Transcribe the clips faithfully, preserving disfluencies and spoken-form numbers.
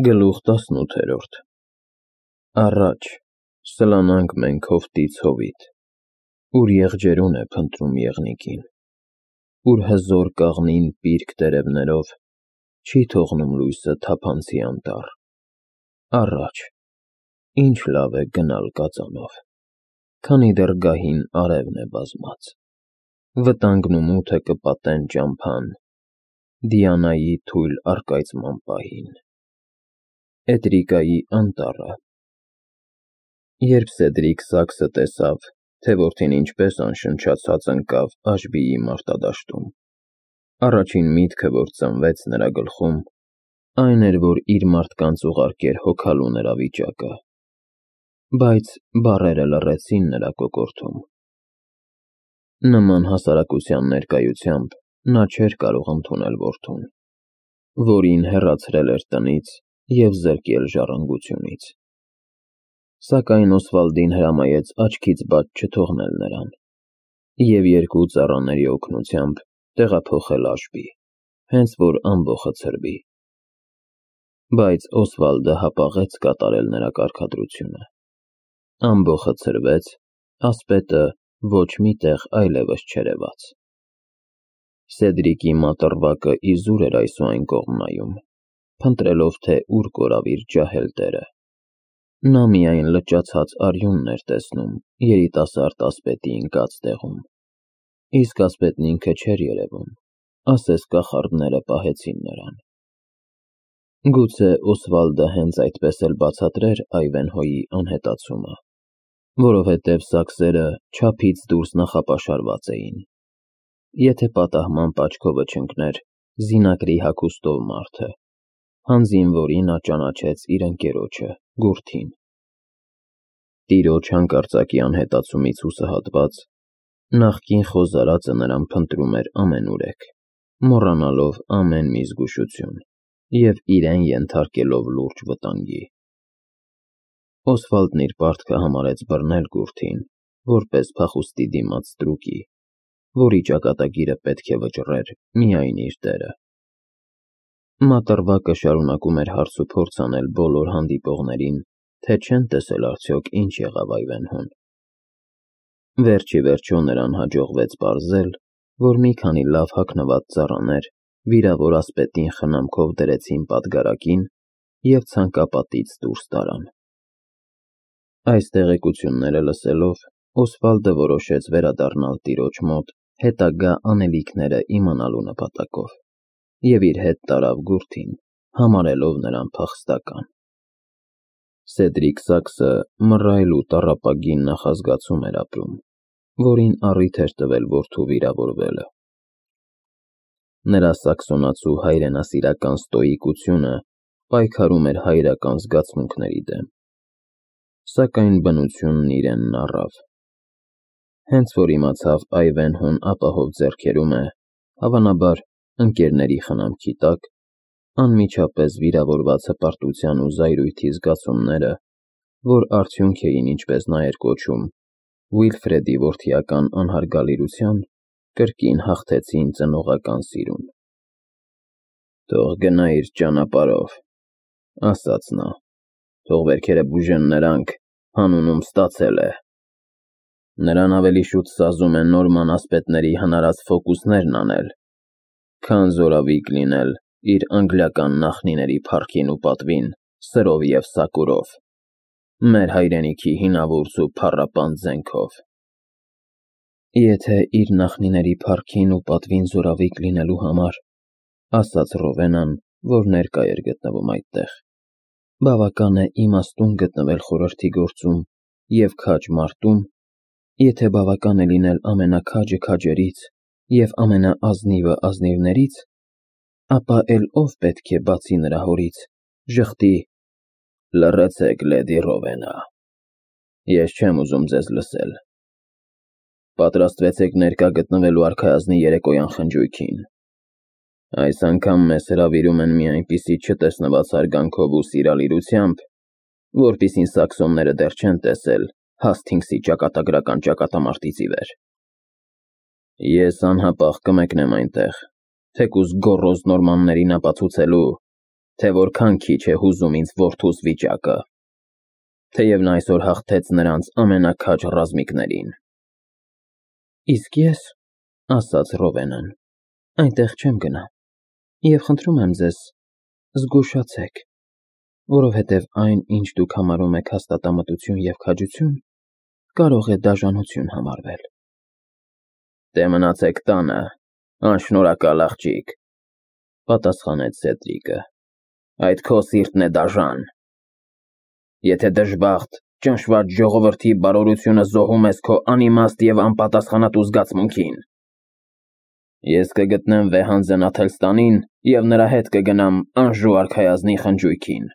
Գլուխ տասնութերորդ Առաջ սլանանք մենք հովտից հովիտ, ուր եղջերուն է փնտրում եղնիկին, ուր հզոր կաղնին պիրկ տերևներով չի թողնում լույսը թափանցի անտառ, առաջ, ինչ լավ է գնալ կածանով, քանի դեռ գահին արևն է բազմած, վտանգն ու մութը կպատեն ճամփան, Դիանայի թույլ առկայծման պահին, Էտրիկայի անտառը։ Երբ Սեդրիկ Սաքսը տեսավ, թե որդին ինչպես անշնչացած ընկավ Աշբիի մարտադաշտում, առաջին միտքը, որ ծնվեց նրա գլխում, այն էր, որ իր մարդկանց ուղարկեր հոգալու նրա վիճակը, բայց բառերը լռեցին նրա կոկորդում։ Նման հասարակության ներկայությամբ նա չէր կարող ընդունել որդուն, որին հեռացրել էր տնից և զրկել ժառանգությունից։ Սակայն Օսվալդին հրամայեց աչքից բաց չթողնել նրան և երկու ծառաների օգնությամբ տեղափոխել Աշբի, հենց որ ամբոխը ցրվի։ Բայց Օսվալդը հապաղեց կատարել նրա կարգադրությունը։ Ամբոխը ցրվեց, ասպետը ոչ մի տեղ այլևս չերևաց։ Սեդրիկի մատռվակը իզուր էր այս ու այն կողմ նայում, փնտրելով, թե ուր կորավ իր ջահել տերը։ Նա միայն լճացած արյունն էր տեսնում երիտասարդ ասպետի ընկած տեղում, իսկ ասպետն ինքը չէր երևում, ասես կախարդները պահեցին նրան։ Գուցե Օսվալդը հենց այդպես էլ բացատրեր Այվենհոյի անհետացումը, որովհետև սաքսերը չափից դուրս նախապաշարված էին, եթե պատահմամբ աչքովը չընկներ զինակրի հագուստով մարդը, հանձին որի նա ճանաչեց իր ընկերոջը, Գուրթին։ Տիրոջ հանկարծակի անհետացումից հուսահատված, նախկին խոզարածը նրան փնտրում էր ամենուրեք, մոռանալով ամեն մի զգուշություն և իրեն ենթարկելով լուրջ վտանգի։ Օսվալդն իր պարտքը համարեց բռնել Գուրթին, որպես փախուստի դիմաց ստրուկի, որի ճակատագիրը պետք է վճռեր միայն իր տերը։ Մատռվակը շարունակում էր հարց ու փորձ անել բոլոր հանդիպողներին, թե չեն տեսել արդյոք ինչ եղավ Այվենհոն։ Վերջ ի վերջո նրան հաջողվեց պարզել, որ մի քանի լավ հագնված ծառաներ վիրավոր ասպետին խնամքով դրեցին պատգարակին և ցանկապատից դուրս տարան։ Այս տեղեկությունները լսելով, Օսվալդը որոշեց վերադառնալ տիրոջ մոտ հետագա անելիքները իմանալու նպատակով և իր հետ տարավ Գուրթին, համարելով նրան փախստական։ Սեդրիկ Սաքսը մռայլ ու տառապագին նախազգացում էր ապրում, որին առիթ էր տվել որդու վիրավորվելը։ Նրա սաքսոնացու հայրենասիրական ստոիկությունը պայքարում էր հայրական զգացմունքների դեմ, սակայն բնությունն իրենն առավ։ Հենց որ իմացավ Այվենհոն ապահով ձեռքերում է, հավանաբար ընկերների խնամքի տակ, անմիջապես վիրավորված հպարտության ու զայրույթի զգացումները, որ արդյունք էին, ինչպես նա էր կոչում, Ուիլֆրեդի որդիական անհարգալիրության, կրկին հաղթեցին ծնողական սիրուն։ «Թող գնա իր ճանապարհով», ասաց նա, «թող վերքերը բուժեն նրանք, հանուն ում ստացել է։ Նրան ավելի շուտ սազում է նորման ասպետների հնարած ֆոկուսներն անել, քան զորավիգ լինել իր անգլիական նախնիների փառքին ու պատվին սրով և սակուրով, մեր հայրենիքի հինավուրց ու փառապան զենքով»։ Եթե իր նախնիների փառքին ու պատվին զորավիգ լինելու համար, ասաց Ռովենան, որ ներկա էր գտնվում այդտեղ, բավական է իմաստուն գտնվել խորհրդի գործում և քաջ մարտում, եթե բավական է լինել ամենաքաջը քաջերից և ամենաազնիվը ազնիվներից, ապա էլ ով պետք է, բացի նրա հորից, ժխտի. «Լռեցեք, լեդի Ռովենա, ես չեմ ուզում ձեզ լսել։ Պատրաստվեցեք ներկա գտնվելու արքայազնի երեկոյան խնջույքին։ Այս անգամ մեզ հրավիրում են մի այնպիսի չտեսնված հարգանքով ու սիրալիրությամբ, որպիսին սաքսոնները դեռ չեն տեսել Հասթինգսի ճակատագրական ճակատամարտից ի վեր։ Ես անհապաղ կմեկնեմ այնտեղ, թեկուզ գոռոզ նորմաններին ապացուցելու, թե որքան քիչ է հուզում ինձ որդուս վիճակը, թեև նա այսօր հաղթեց նրանց ամենաքաջ ռազմիկներին։ Իսկ ես, ասաց Ռովենան, այնտեղ չեմ գնա, և խնդրում եմ ձեզ, զգուշացեք, որովհետև այն, ինչ դուք համարում եք հաստատամտություն և քաջություն, կարող է դաժանություն համարվել։ Դե մնացեք տանը, անշնորհակալ աղջիկ, պատասխանեց Սեդրիկը, այդ քո սիրտն է դաժան։ Եթե դժբախտ, ճնշված ժողովրդի բարօրությունը զոհում ես քո անիմաստ և անպատասխանատու զգացմունքին։ Ես կգտնեմ վեհանձն Աթելստանին և նրա հետ կգնամ Անժու արքայազնի խնջույքին։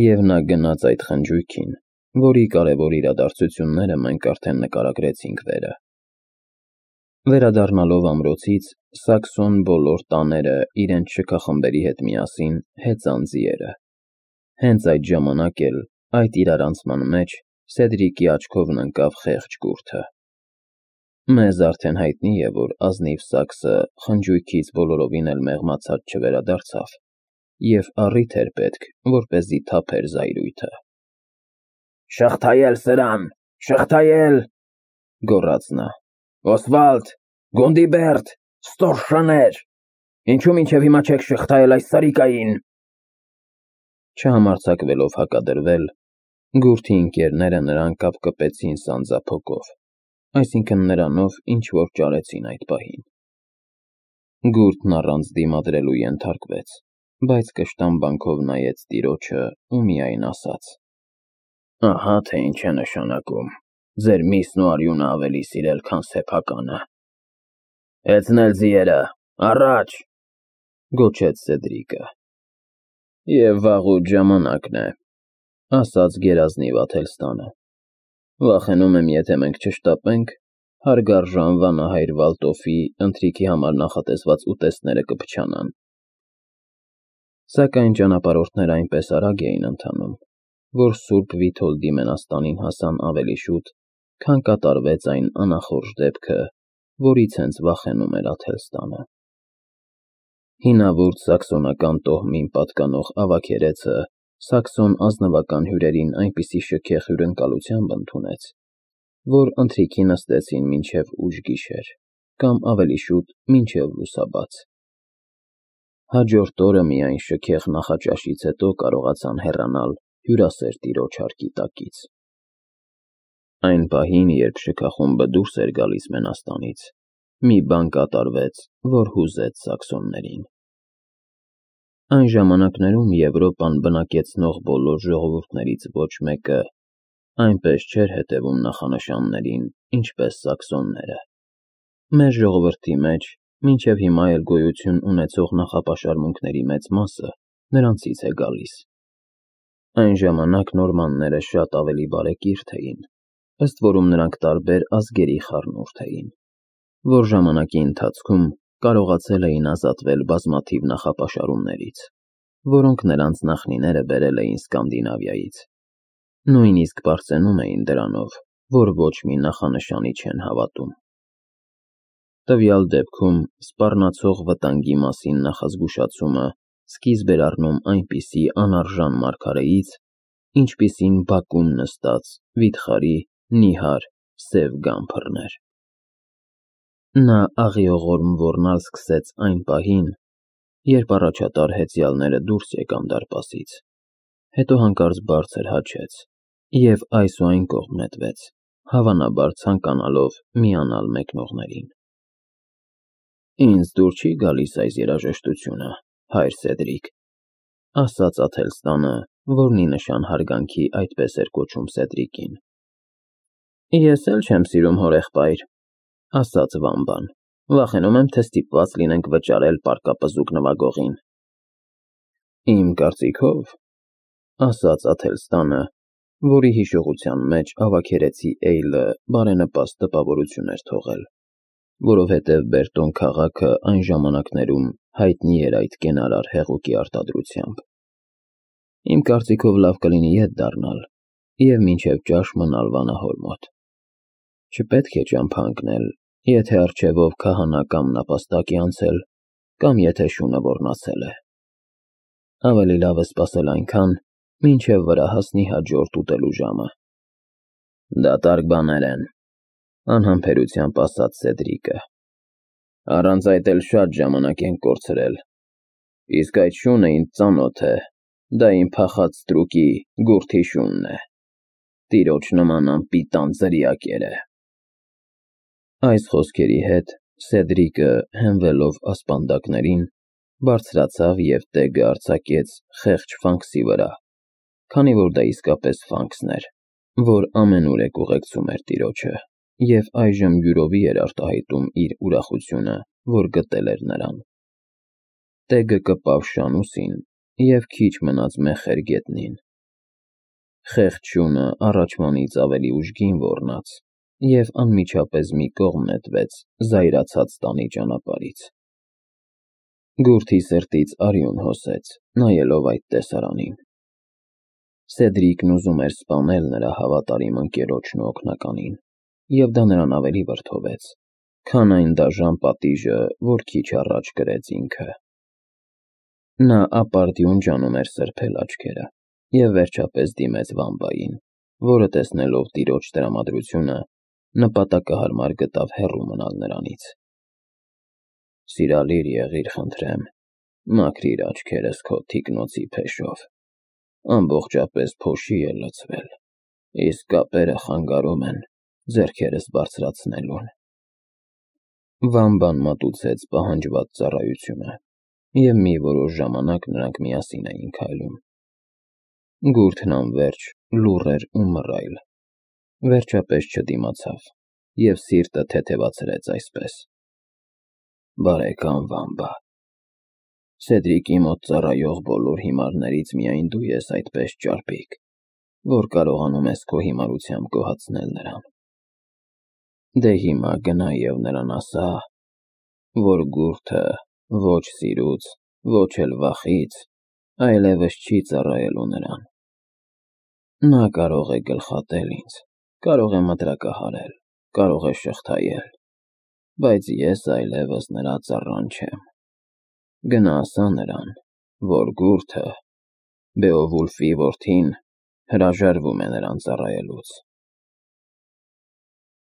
Եվ նա գնաց այդ խնջույքին, որի կարևոր իրադարձությունները մենք արդեն նկարագրեցինք վերը։ Վերադառնալով ամրոցից, Սաքսոն բոլոր տաները իրենց շքախմբերի հետ միասին հեծան ձիերը։ Հենց այդ ժամանակ էլ, այդ իրարանցման մեջ, Սեդրիկի աչքովն ընկավ խեղճ կուրթը։ Մեզ արդեն հայտնի է, որ ազնիվ Սաքսը խնջույքից բոլորովին էլ մեղմացած չվերադարձավ, և առիթ էր պետք, որպեսզի թափեր զայրույթը։ Շղթայել սրան, շղթայել, գոռաց նա։ Օսվալդ, Գունդիբերտ, ստորշաներ, ինչու մինչև հիմա չեք շղթայել այս սարիկային։ Չհամարձակվելով հակադրվել, գուրթի ընկերները նրան կապկպեցին սանձափոկով, այսինքն նրանով, ինչ որ ճարեցին այդ պահին։ Գուրթն առանց դիմադրելու ենթարկվեց, բայց կշտամբանքով նայեց տիրոջը ու միայն ասաց. Ահա թե ինչ է նշանակում ձեր միսն ու արյունը ավելի սիրել, քան սեփականը։ Հեծնել ձիերը, առաջ, գոչեց Սեդրիկը։ Եվ վաղուց ժամանակն է, ասաց գերազնիվ Աթելստանը։ Վախենում եմ, եթե մենք չշտապենք, հարգարժան վանահայր Վալտոֆի ընթրիքի համար նախատեսված ուտեստները կփչանան։ Սակայն ճանապարհորդները այնպես արագ էին ընթանում, որ Սուրբ Վիթոլդի մենաստանին հասան ավելի շուտ, քան կատարվեց այն անախորժ դեպքը, որից հենց վախենում էր Աթելստանը։ Հինավուրց սաքսոնական տոհմին պատկանող ավագերեցը սաքսոն ազնվական հյուրերին այնպիսի շքեղ հյուրընկալությամբ ընդունեց, որ ընթրիքի նստեցին մինչև ուշ գիշեր, կամ ավելի շուտ մինչև լուսաբաց։ Հաջորդ օրը միայն շքեղ նախաճաշից հետո կարողացան հեռանալ հյուրասեր տիրոջ հարկի տակից։ Այն պահին, երբ շքախումբը դուրս էր գալիս մենաստանից, մի բան կատարվեց, որ հուզեց սաքսոններին։ Այն ժամանակներում Եվրոպան բնակեցնող բոլոր ժողովուրդներից ոչ մեկը այնպես չէր հետևում նախանշաններին, ինչպես սաքսոնները։ Մեր ժողովրդի մեջ մինչև հիմա էլ գոյություն ունեցող նախապաշարմունքների մեծ մասը նրանցից է գալիս։ Այն ժամանակ նորմանները շատ ավելի բարեկիրթ էին, ըստ որում նրանք տարբեր ազգերի խառնուրդ էին, որ ժամանակի ընթացքում կարողացել էին ազատվել բազմաթիվ նախապաշարումներից, որոնք նրանց նախնիները բերել էին Սկանդինավիայից, նույնիսկ պարծենում էին դրանով, որ ոչ մի նախանշանի չեն հավատում։ Տվյալ դեպքում սպառնացող վտանգի մասին նախազգուշացումը սկիզբ էր առնում այնպիսի անարժան մարգարեից, ինչպիսին բակում նստած վիթխարի նիհար սև գամբրն էր։ Նա աղիողորմ ոռնալ սկսեց այն պահին, երբ առաջատար հեծյալները դուրս եկան դարպասից, հետո հանկարծ բարձր հաչեց և այս ու այն կողմ նետվեց, հավանաբար ցանկանալով միանալ մեկնողներին։ Ինձ դուր չի գալիս այս երաժշտությունը, հայր Սեդրիկ, ասաց Աթելստանը, որն ի նշան հարգանքի այդպես էր կոչում Սեդրիկին։ Ես էլ չեմ սիրում հորեղբայր, ասաց Վամբան, վախենում եմ, թե ստիպված լինենք վճարել պարկապզուկ նվագողին։ Իմ կարծիքով, ասաց Աթելստանը, որի հիշողության մեջ ավագերեցի Էյլը բարենպաստ տպավորություն էր թողել, որովհետև Բերտոն քաղաքը այն ժամանակներում հայտնի էր այդ կենարար հեղուկի արտադրությամբ։ Իմ կարծիքով լավ կլինի ետ դառնալ և մինչև ճաշ մնալ վանահոր մոտ։ Չպետք է ճամփա ընկնել, եթե առջևով քահանա կամ նապաստակ է անցել, կամ եթե շունը ոռնացել է։ Ավելի լավ է սպասել այնքան, մինչև վրա հասնի հաջորդ ուտելու ժամը։ Դատարկ բաներ են, անհամբերությամբ ասաց Սեդրիկը։ Առանց այդ էլ շատ ժամանակ ենք կորցրել։ Իսկ այդ շունը ինձ ծանոթ է, դա իմ փախած ստրուկի գուրթի շունն է։ Տիրոջ նման անպիտան ձրիակեր է։ Այս խոսքերի հետ Սեդրիկը, հենվելով ասպանդակներին, բարձրացավ և տեգը արձակեց խեղճ Ֆանքսի վրա, քանի որ դա իսկապես Ֆանքսն էր, որ ամենուրեք ուղեկցում էր տիրոջը, և այժմ յուրովի էր արտահայտում իր ուրախությունը, որ գտել էր նրան։ Տեգը կպավ շանուսին և քիչ մնաց մեխեր գետնին։ Խեղճ շունը առաջվանից ավելի ուժգին ոռնաց և անմիջապես մի կողմ նետվեց զայրացած տանի ճանապարհից։ Գուրթի սրտից արյուն հոսեց, նայելով այդ տեսարանին։ Սեդրիկն ուզում էր սպանել նրա հավատարիմ ընկերոջն ու օգնականին, և դա նրան ավելի վրդովեց, քան այն դաժան պատիժը, որ քիչ առաջ կրեց ինքը։ Նա ապարդյուն ջանում էր սրբել աչքերը և վերջապես դիմեց Վամբային, որը, տեսնելով տիրոջ տրամադրությունը, նպատակահարմար գտավ հեռու մնալ նրանից։ Սիրալիր եղիր, խնդրեմ, մաքրիր աչքերս քո թիկնոցի փեշով, ամբողջապես փոշի է լցվել, իսկ կապերը խանգարում են ձեռքերս բարձրացնելուն։ Վամբան մատուցեց պահանջված ծառայությունը, և մի որոշ ժամանակ նրանք միասին էին քայլում։ Գուրթն անվերջ լուռ էր ու մռայլ, վերջապես չդիմացավ և սիրտը թեթևացրեց այսպես. Բարեկամ Վամբա, Սեդրիկի մոտ ծառայող բոլոր հիմարներից միայն դու ես այդպես ճարպիկ, որ կարողանում ես քո հիմարությամբ գոհացնել նրան։ Դե հիմա գնա և նրան ասա, որ գուրթը ոչ սիրուց, ոչ էլ վախից այլևս չի ծառայելու նրան։ Նա կարող է գլխատել ինձ, կարող է մտրակահարել, կարող է շղթայել, բայց ես այլևս նրա ծառան չեմ։ Գնա ասա նրան, որ գուրթը, Բեովուլֆի որդին, հրաժարվում է նրան ծառայելուց։